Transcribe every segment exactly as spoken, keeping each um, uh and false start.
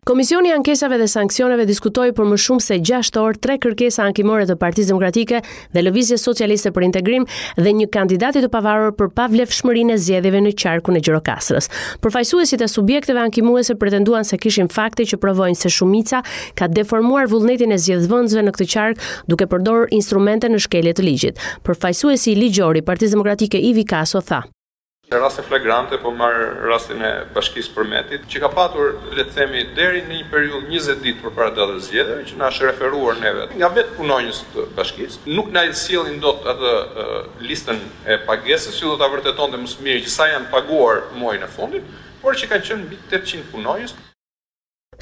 Komisioni i Ankesave dhe Sanksioneve diskutoi për më shumë se gjashtë orë tre kërkesa ankimore të Partisë Demokratike dhe Lëvizjes Socialiste për Integrim dhe një kandidati të pavarur për pavlefshmërinë e zgjedhjeve në qarkun e Gjirokastrës. Përfaqësuesit e subjekteve ankimuese pretenduan se kishin fakte që provojnë se shumica ka deformuar vullnetin e zgjedhësve në këtë qark duke përdorur instrumente në shkelje të ligjit. Përfaqësuesi ligjor i Partisë Demokratike, Ivi Kaso, tha: Në raste flagrante, po marr rastin e Bashkisë Përmetit, që ka patur, le të themi, deri në një periudhë njëzet ditë përpara datës së zgjedhjeve, që na është referuar neve nga vetë punonjës të bashkisë, nuk na i sjellin dot atë listën e pagesës që do ta vërtetonte më së miri që sa janë paguar muajin e fundit, por që kanë qenë mbi tetëqind punonjës.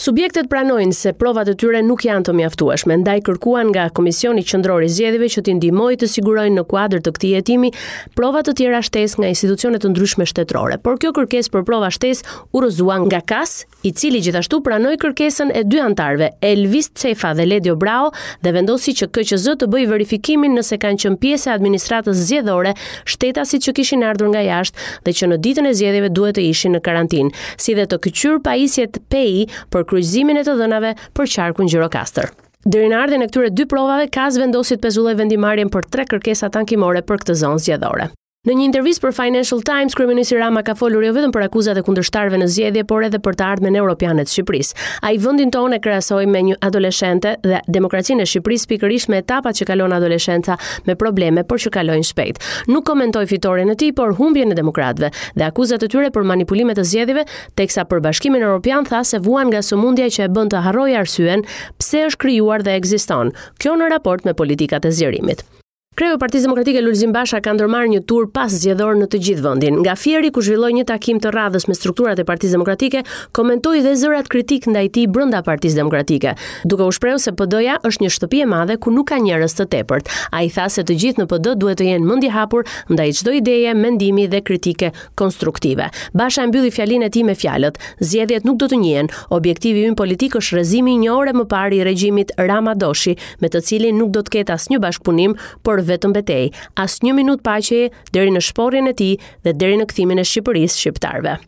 Subjektet pranojnë se provat e tyre nuk janë të mjaftueshme, ndaj kërkuan nga Komisioni Qendror i Zgjedhjeve që t'i ndihmojë të sigurojnë në kuadër të këtij hetimi prova të tjera shtesë nga institucione të ndryshme shtetërore. Por kjo kërkesë për prova shtesë u rrëzua nga K A S, i cili gjithashtu pranoi kërkesën e dy anëtarëve, Elvis Cefa dhe Ledio Brao, dhe vendosi që K Q Z të bëjë verifikimin nëse kanë qenë pjesë e administratës zgjedhore shtetasit që kishin ardhur nga jashtë dhe që në ditën e zgjedhjeve duhet të ishin në karantinë, si dhe të këqyr pajisjet P I për kryqëzimin e të dhënave për qarkun Gjirokastër. Deri në ardhjen e këtyre dy provave, K A S vendosi të pezullojë vendimarrjen për tre kërkesa ankimore për këtë zonë zgjedhore. Në një intervistë për Financial Times, kryeministri Rama ka folur jo vetëm për akuzat e kundërshtarëve në zgjedhje, por edhe për të ardhmen europiane të Shqipërisë. Ai vendin tonë e krahasoi me një adoleshente dhe demokracinë e Shqipërisë pikërisht me etapat që kalon adoleshenca me probleme, por që kalojnë shpejt. Nuk komentoi fitoren e tij, por humbjen e demokratëve dhe akuzat e tyre për manipulime të zgjedhjeve, teksa për Bashkimin Evropian tha se vuan nga sëmundja që e bën të harrojë arsyen pse është krijuar dhe ekziston. Kjo në raport me politikat e zgjerimit. Kreu i Partisë Demokratike, Lulzim Basha, ka ndërmarrë një tur pas zgjedhor në të gjithë vendin. Nga Fieri, ku zhvilloi një takim të radhës me strukturat e Partisë Demokratike, komentoi dhe zërat kritik ndaj tij brenda Partisë Demokratike, duke u shprehur se P D-ja është një shtëpi e madhe ku nuk ka njerëz të tepërt. Ai tha se të gjithë në P D duhet të jenë mendjehapur ndaj çdo ideje, mendimi dhe kritike konstruktive. Basha e mbylli fjalinë e tij me fjalët: "Zgjedhjet nuk do të njihen. Objektivi ynë politik është rrëzimi një orë më parë i regjimit Rama Doshi, me të cilin nuk do të ketë asnjë bashkëpunim, por vetëm betejë, asnjë minutë paqeje deri në shporrjen e tij dhe deri në kthimin e Shqipërisë shqiptarëve."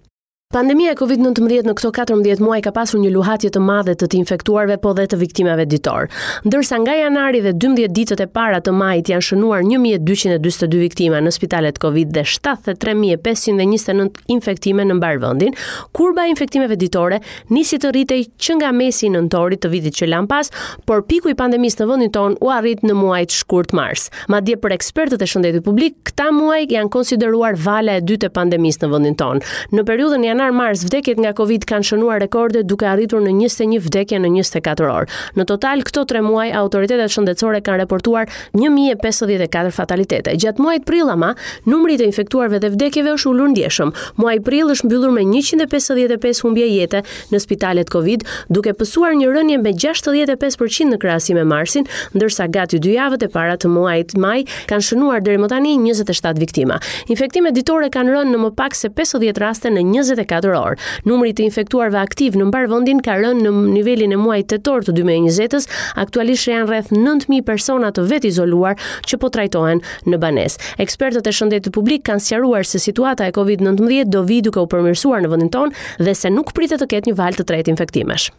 Pandemia e Covid nëntëmbëdhjetë në këto katërmbëdhjetë muaj ka pasur një luhatje të madhe të të infektuarve, po dhe të viktimave ditor. Ndërsa nga janari dhe dymbëdhjetë ditët e para të majit janë shënuar një mijë e dyqind e dyzet e dy viktima në spitalet Covid dhe shtatëdhjetë e tre mijë e pesëqind e njëzet e nëntë infektime në mbar vendin, kurba e infektimeve ditore nisi të rritej që nga mesi i nëntorit të vitit që lam pas, por piku i pandemisë në vendin tonë u arrit në muajt shkurt mars. Madje, për ekspertët e shëndetit publik, këta muaj janë konsideruar vala e dytë e pandemisë në vendin tonë. Në periudhën janar mars, vdekjet nga Covid kanë shënuar rekorde, duke arritur në njëzet e një vdekje në njëzet e katër orë. Në total, këto tre muaj autoritetet shëndetësore kanë raportuar një mijë e pesëdhjetë e katër fatalitete. Gjatë muajit prill ama, numri i të infektuarve dhe vdekjeve është ulur ndjeshëm. Muaji prill është mbyllur me njëqind e pesëdhjetë e pesë humbje jete në spitalet Covid, duke pësuar një rënje me gjashtëdhjetë e pesë për qind në krahasim me marsin, ndërsa gati dy javët e para të muajit maj kanë shënuar deri më tani njëzet e shtatë viktima. Infektimet ditore kanë rënë në më pak se pesëdhjetë raste në njëzet e katër orë. Numri i të infektuarve aktiv në mbar vendin ka rënë në nivelin e muajit tetor të dy mijë e njëzet-s, aktualisht janë rreth nëntë mijë persona të vetizoluar që po trajtohen në banesë. Ekspertët e shëndetit publik kanë sqaruar se situata e Covid nëntëmbëdhjetë do vijë duke u përmirësuar në vendin tonë dhe se nuk pritet të ketë një valë të tretë infektimesh.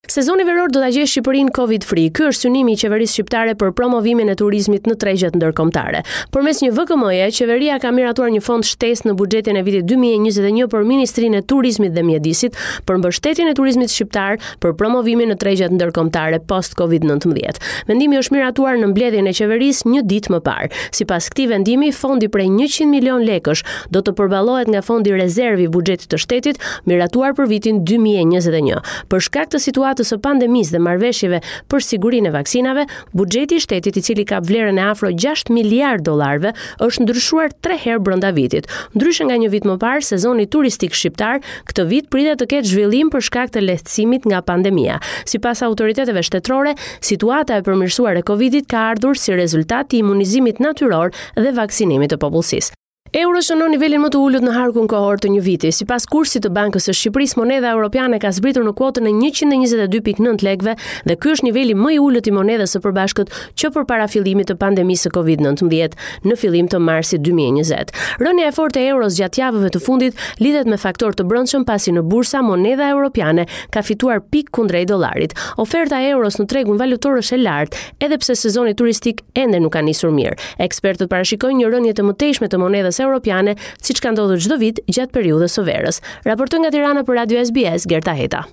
Sezoni veror do ta gjejë Shqipërinë Covid free. Ky është synimi i qeverisë shqiptare për promovimin e turizmit në tregjet ndërkombëtare. Përmes një V K M-je, qeveria ka miratuar një fond shtesë në buxhetin e vitit dy mijë e njëzet e një për Ministrinë e Turizmit dhe Mjedisit për mbështetjen e turizmit shqiptar për promovimin në tregjet ndërkombëtare post Covid nëntëmbëdhjetë. Vendimi është miratuar në mbledhjen e qeverisë një ditë më parë. Sipas këtij vendimi, fondi prej njëqind milion lekësh do të përballohet nga fondi rezervë i buxhetit të shtetit, miratuar për vitin dy mijë e njëzet e një. Për shkak të situatës së pandemisë dhe marrëveshjeve për sigurinë e vaksinave, buxheti i shtetit, i cili ka vlerën e afro gjashtë miliard dollarëve, është ndryshuar tre herë brenda vitit. Ndryshe nga një vit më parë, sezoni turistik shqiptar këtë vit pritet të ketë zhvillim për shkak të lehtësimit nga pandemia. Sipas autoriteteve shtetërore, situata e përmirësuar e Covidit ka ardhur si rezultat i imunizimit natyror dhe vaksinimit të popullsisë. Euro shënon nivelin më të ulët në harkun kohor të një viti. Sipas kursit të Bankës së Shqipërisë, monedha europiane ka zbritur në kuotën e njëqind e njëzet e dy pikë nëntë lekëve dhe ky është niveli më i ulët i monedhës së përbashkët që përpara fillimit të pandemisë së Covid nëntëmbëdhjetë në fillim të marsit dy mijë e njëzet. Rënia e fortë e euros gjatë javëve të fundit lidhet me faktor të brendshëm, pasi në bursa monedha europiane ka fituar pikë kundrejt dollarit. Oferta e euros në tregun valutor është e lartë, edhe pse sezoni turistik ende nuk ka nisur mirë. Ekspertët parashikojnë një rënie të mëtejshme të monedhës europiane, siç ka ndodhur çdo vit gjatë periudhës së verës. Raportoi nga Tirana për Radio S B S, Gerta Heta.